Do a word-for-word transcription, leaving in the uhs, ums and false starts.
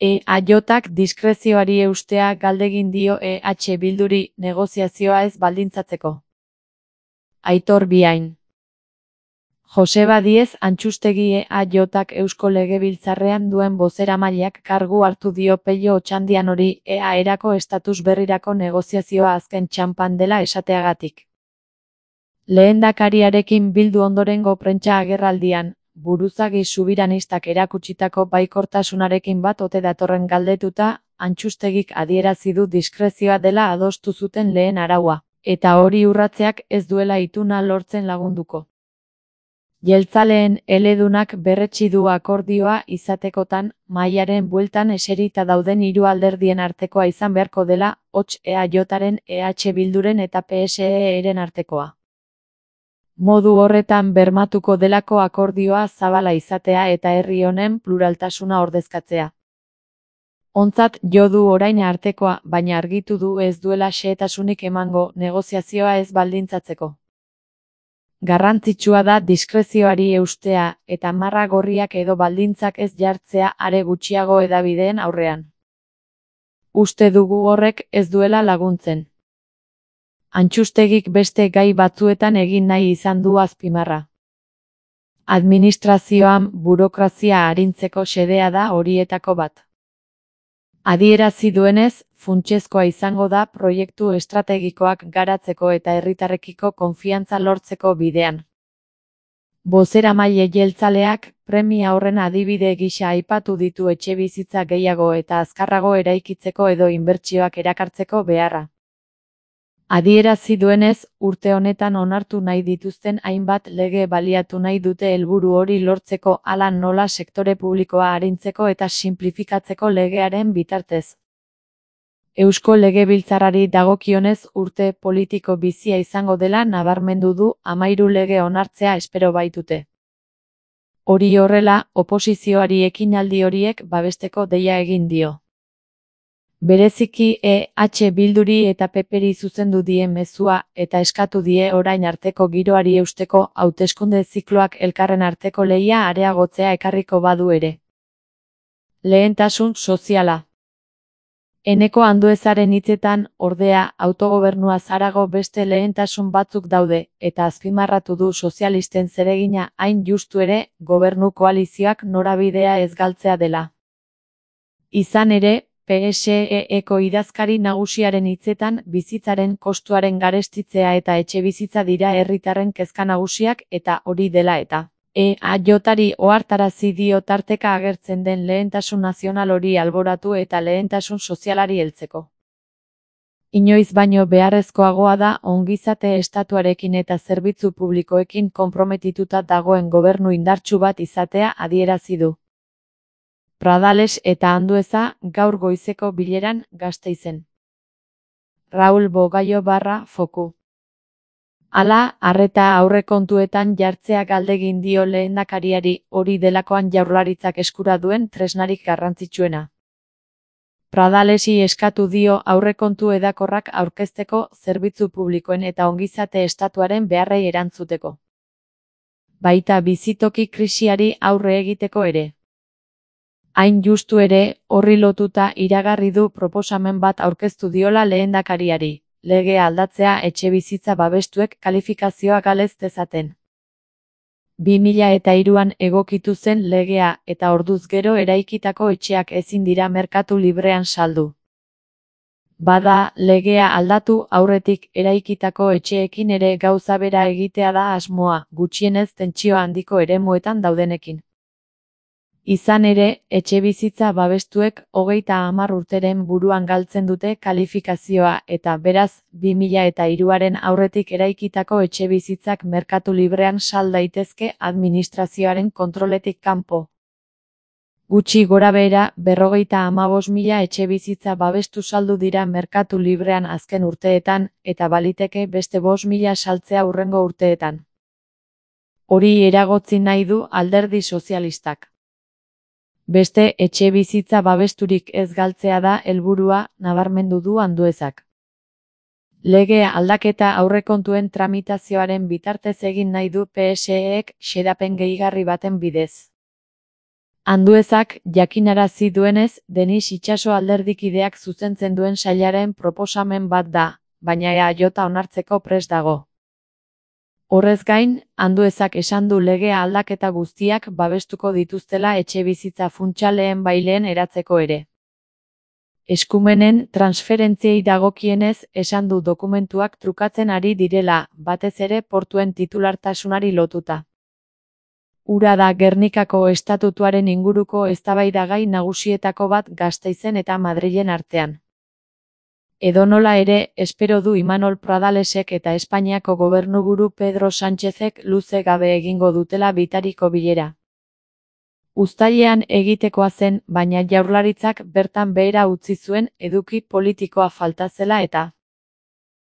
E H diskrezioari eustea galdegin dio E H Bilduri negoziazioa ez baldintzatzeko. Aitor Biain. Joseba Diez Antxustegi E H Eusko Legebiltzarrean duen bozeramaileak kargu hartu dio Pello Otxandianori E A erako estatus berrirako negoziazioa azken txanpan dela esateagatik. Lehendakariarekin bildu ondorengo prentsa agerraldian, buruzagi subiranistak erakutsitako baikortasunarekin bat ote datorren galdetuta, Antxustegik adierazi du diskrezioa dela adostu zuten lehen araua, eta hori urratzeak ez duela ituna lortzen lagunduko. Jeltzaleen eledunak berretsi du akordioa izatekotan, mahaiaren bueltan eserita dauden hiru alderdien artekoa izan beharko dela, hots E Haren, E H Bilduren eta P S E-ren artekoa. Modu horretan bermatuko delako akordioa zabala izatea eta herri honen pluraltasuna ordezkatzea. Ontzat jo du orain artekoa, baina argitu du ez duela xehetasunik emango negoziazioa ez baldintzatzeko. Garrantzitsua da diskrezioari eustea eta marra gorriak edo baldintzak ez jartzea are gutxiago hedabideen aurrean. Uste dugu horrek ez duela laguntzen. Antxustegik beste gai batzuetan egin nahi izan du azpimarra. Administrazioan burokrazia arintzeko xedea da horietako bat. Adierazi duenez, funtsezkoa izango da proiektu estrategikoak garatzeko eta herritarrekiko konfiantza lortzeko bidean. Bozeramaile jeltzaleak premia horren adibide gisa aipatu ditu etxebizitza gehiago eta azkarrago eraikitzeko edo inbertsioak erakartzeko beharra. Adierazi duenez, urte honetan onartu nahi dituzten hainbat lege baliatu nahi dute helburu hori lortzeko hala nola sektore publikoa arintzeko eta sinplifikatzeko legearen bitartez. Eusko Legebiltzarrari dagokionez urte politiko bizia izango dela nabarmendu du hamahiru lege onartzea espero baitute. Hori horrela, oposizioari ekinaldi horiek babesteko deia egin dio. Bereziki E H Bilduri eta P Peri zuzendu die mezua eta eskatu die orain arteko giroari eusteko hauteskunde zikloak elkarren arteko lehia areagotzea ekarriko badu ere. Lehentasun soziala. Eneko Anduezaren hitzetan, ordea, autogobernua harago beste lehentasun batzuk daude, eta azpimarratu du sozialisten zeregina hain justu ere, gobernu koalizioak norabidea ez galtzea dela. Izan ere, P S E-eko idazkari nagusiaren hitzetan bizitzaren kostuaren garestitzea eta etxebizitza dira herritarren kezka nagusiak eta hori dela eta. E H-ari ohartarazi dio tarteka agertzen den lehentasun nazional hori alboratu eta lehentasun sozialari heltzeko. Inoiz baino beharrezkoagoa da ongizate estatuarekin eta zerbitzu publikoekin konprometituta dagoen gobernu indartsu bat izatea adierazi du. Pradales eta Andueza gaur goizeko bileran Gasteizen. Raul Bogaio barra foku. Hala, arreta aurrekontuetan jartzea galdegin dio lehendakariari hori delakoan jaurlaritzak eskura duen tresnarik garrantzitsuena. Pradalesi eskatu dio aurrekontu edakorrak aurkezteko zerbitzu publikoen eta ongizate estatuaren beharrei erantzuteko. Baita bizitoki krisiari aurre egiteko ere. Hain justu ere, horri lotuta iragarri du proposamen bat aurkeztu diola lehendakariari, legea aldatzea etxebizitza babestuek kalifikazioa galez dezaten. bi mila eta hiruan egokitu zen legea eta orduz gero eraikitako etxeak ezin dira merkatu librean saldu. Bada, legea aldatu aurretik eraikitako etxeekin ere gauza bera egitea da asmoa, gutxienez tentsio handiko eremuetan daudenekin. Izan ere, etxebizitza babestuek hogeita hamar urteren buruan galtzen dute kalifikazioa eta beraz, bi mila eta hiruaren aurretik eraikitako etxebizitzak merkatu librean sal daitezke administrazioaren kontroletik kanpo. Gutxi gorabehera, berrogeita hamabost mila etxebizitza babestu saldu dira merkatu librean azken urteetan, eta baliteke beste bost mila saltzea hurrengo urteetan. Hori eragotzi nahi du Alderdi Sozialistak. Beste etxebizitza babesturik ez galtzea da helburua, nabarmendu du Anduezak. Lege aldaketa aurrekontuen tramitazioaren bitartez egin nahi du P S E-ek xedapen gehigarri baten bidez. Anduezak jakinarazi duenez, Denis Itxaso alderdikideak zuzentzen duen sailaren proposamen bat da, baina E A J onartzeko prest dago. Horrez gain, Anduezak esan du legea aldaketa guztiak babestuko dituztela etxebizitza funtsa lehenbailehen eratzeko ere. Eskumenen transferentziei dagokienez, esan du dokumentuak trukatzen ari direla, batez ere portuen titulartasunari lotuta. Hura da Gernikako estatutuaren inguruko eztabaidagai nagusietako bat Gasteizen eta Madrilen artean. Edonola ere, espero du Imanol Pradalesek eta Espainiako gobernuburu Pedro Sánchezek luze gabe egingo dutela bitariko bilera. Uztailean egitekoa zen, baina Jaurlaritzak bertan behera utzi zuen eduki politikoa falta zela eta